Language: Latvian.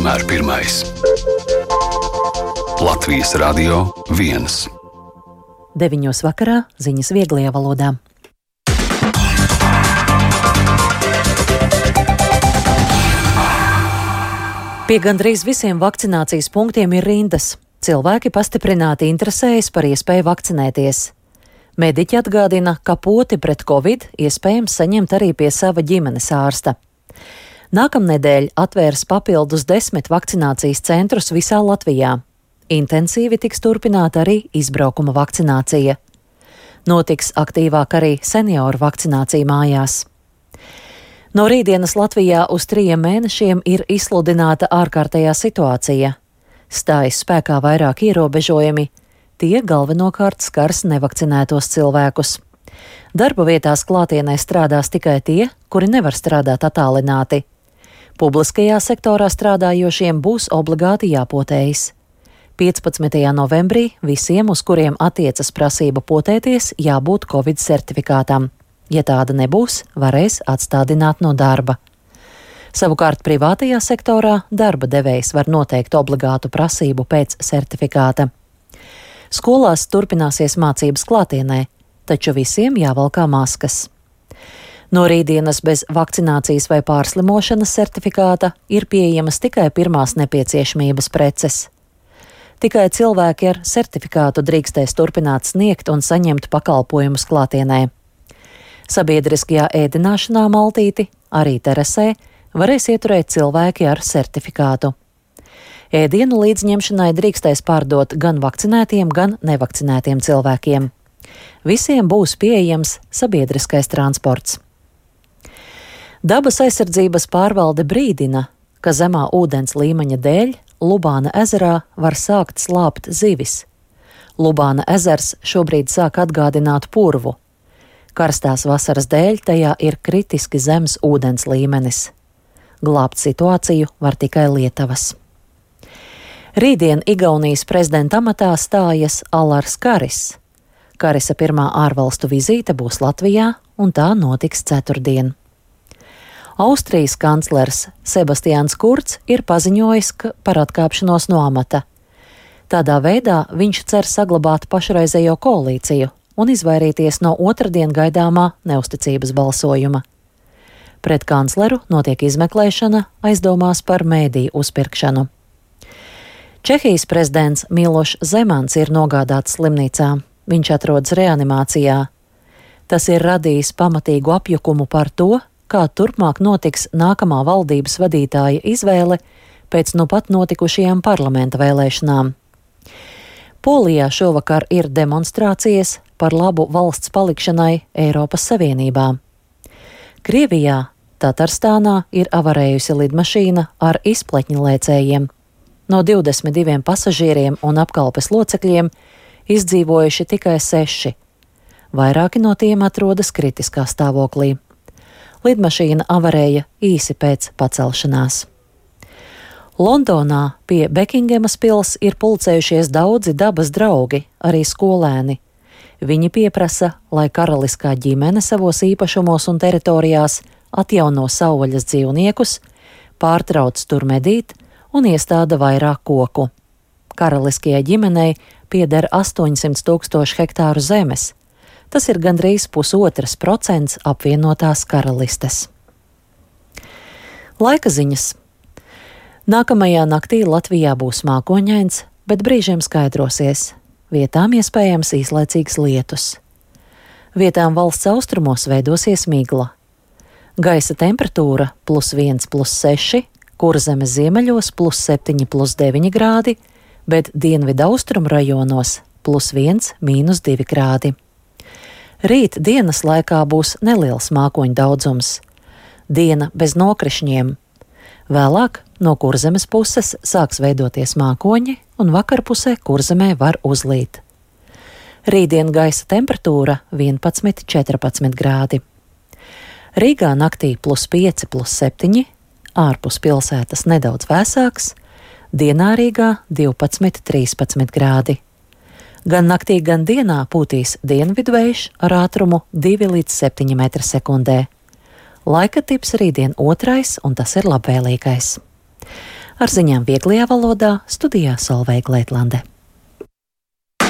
vienmēr pirmais. Latvijas Radio 1. 9:00 vakarā ziņas vieglajā valodā. Pie gandrīz visiem vakcinācijas punktiem ir rindas. Cilvēki pastiprināti interesējas par iespēju vakcinēties. Mediķi atgādina, ka poti pret covid iespējams saņemt arī pie sava ģimenes ārsta. Nākamnedēļ atvērs papildus 10 vakcinācijas centrus visā Latvijā. Intensīvi tiks turpināta arī izbraukuma vakcinācija. Notiks aktīvāk arī senioru vakcinācija mājās. No rītdienas Latvijā uz 3 mēnešiem ir izsludināta ārkārtējā situācija. Stājas spēkā vairāk ierobežojumi, tie galvenokārt skars nevakcinētos cilvēkus. Darba vietās klātienē strādās tikai tie, kuri nevar strādāt attālināti. Publiskajā sektorā strādājošiem būs obligāti jāpotējas. 15. novembrī visiem, uz kuriem attiecas prasība potēties, jābūt Covid certifikātam. Ja tāda nebūs, varēs atstādināt no darba. Savukārt privātajā sektorā darba devējs var noteikt obligātu prasību pēc certifikāta. Skolās turpināsies mācības klātienē, taču visiem jāvalkā maskas. No rītdienas bez vakcinācijas vai pārslimošanas certifikāta ir pieejamas tikai pirmās nepieciešamības preces. Tikai cilvēki ar certifikātu drīkstēs turpināt sniegt un saņemt pakalpojumus klātienē. Sabiedriskajā ēdināšanā maltīti, arī terasē, varēs ieturēt cilvēki ar certifikātu. Ēdienu līdzņemšanai drīkstēs pārdot gan vakcinētiem, gan nevakcinētiem cilvēkiem. Visiem būs pieejams sabiedriskais transports. Dabas aizsardzības pārvalde brīdina, ka zemā ūdens līmeņa dēļ Lubāna ezerā var sākt slāpt zivis. Lubāna ezers šobrīd sāk atgādināt purvu. Karstās vasaras dēļ tajā ir kritiski zems ūdens līmenis. Glābt situāciju var tikai Lietavas. Rītdien Igaunijas prezidenta amatā stājas Alars Karis. Karisa pirmā ārvalstu vizīte būs Latvijā, un tā notiks ceturtdien. Austrijas kanclers Sebastians Kurts ir paziņojis par atkāpšanos no amata. Tādā veidā viņš cer saglabāt pašreizējo koalīciju un izvairīties no otrdien gaidāmā neusticības balsojuma. Pret kancleru notiek izmeklēšana aizdomās par mēdīju uzpirkšanu. Čehijas prezidents Milošs Zemans ir nogādāts slimnīcā. Viņš atrodas reanimācijā. Tas ir radījis pamatīgu apjukumu par to, kā turpmāk notiks nākamā valdības vadītāja izvēle pēc nu pat notikušajām parlamenta vēlēšanām. Polijā šovakar ir demonstrācijas par labu valsts palikšanai Eiropas Savienībā. Krievijā, Tatarstānā ir avarējusi lidmašīna ar izpletņu lēcējiem. No 22 pasažieriem un apkalpes locekļiem izdzīvojuši tikai 6. Vairāki no tiem atrodas kritiskā stāvoklī. Lidmašīna avarēja īsi pēc pacelšanās. Londonā pie Bekingemas pils ir pulcējušies daudzi dabas draugi, arī skolēni. Viņi pieprasa, lai karaliskā ģimene savos īpašumos un teritorijās atjauno savvaļas dzīvniekus, pārtrauc tur medīt un iestāda vairāk koku. Karaliskajai ģimenei pieder 800 000 hektāru zemes. Tas ir gandrīz 1,5% apvienotās karalistes. Laika ziņas. Nākamajā naktī Latvijā būs mākoņains, bet brīžiem skaidrosies. Vietām iespējams īslaicīgs lietus. Vietām valsts austrumos veidosies migla. Gaisa temperatūra +1, +6, Kurzemes ziemeļos +7, +9 grādi, bet dienvidu austrumu rajonos +1, -2 grādi. Rīt dienas laikā būs neliels mākoņu daudzums. Diena bez nokrišņiem. Vēlāk no Kurzemes puses sāks veidoties mākoņi, un vakarpusē Kurzemē var uzlīt. Rītdien gaisa temperatūra 11, 14 grādi. Rīgā naktī +5, +7, ārpus pilsētas nedaudz vēsāks, dienā Rīgā 12, 13 grādi. Gan naktī, gan dienā pūtīs dienvidvējš ar ātrumu 2 līdz 7 m/sekundē. Laika tips rītdien 2, un tas ir labvēlīgais. Ar ziņām vieglajā valodā studijā Solveiga Leitlande.